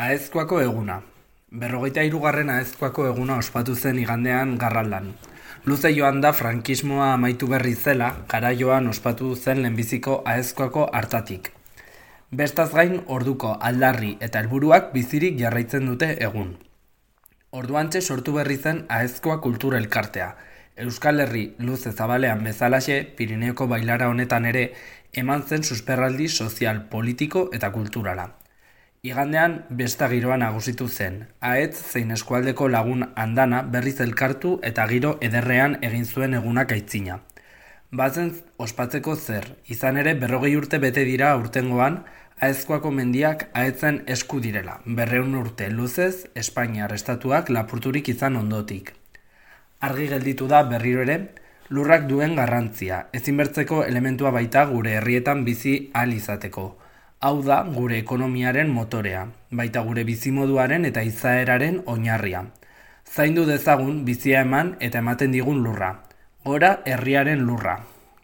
Aezkoako eguna. 43. Aezkoako eguna ospatu zen igandean Garraldan. Luze joan da frankismoa amaitu berri zela, garaioan ospatu zen lehenbiziko Aezkoako hartatik. Bestaz gain orduko aldarri eta helburuak bizirik jarraitzen dute egun. Orduantxe sortu berri zen Aezkoa Kultura Elkartea. Euskal Herri luze zabalean bezalaxe, Pirineoko bailara honetan ere, eman zen susperraldi sozial, politiko eta kulturala. Igandean besta giroa nagusitu zen. Ahetz zein eskualdeko lagun andana berriz elkartu eta giro ederrean egin zuen egunak aitzina. Bazen ospatzeko zer, izan ere 40 urte bete dira aurtengoan, Aezkoako mendiak ahetzen esku direla, 200 urte luzez Espainiar estatuak lapurturik izan ondotik. Argi gelditu da berriro ere, lurrak duen garrantzia, ezinbertzeko elementua baita gure herrietan bizi ahal izateko. Hau da gure ekonomiaren motorea, baita gure bizimoduaren eta izaeraren oinarria. Zaindu dezagun bizia eman eta ematen digun lurra. Gora herriaren lurra.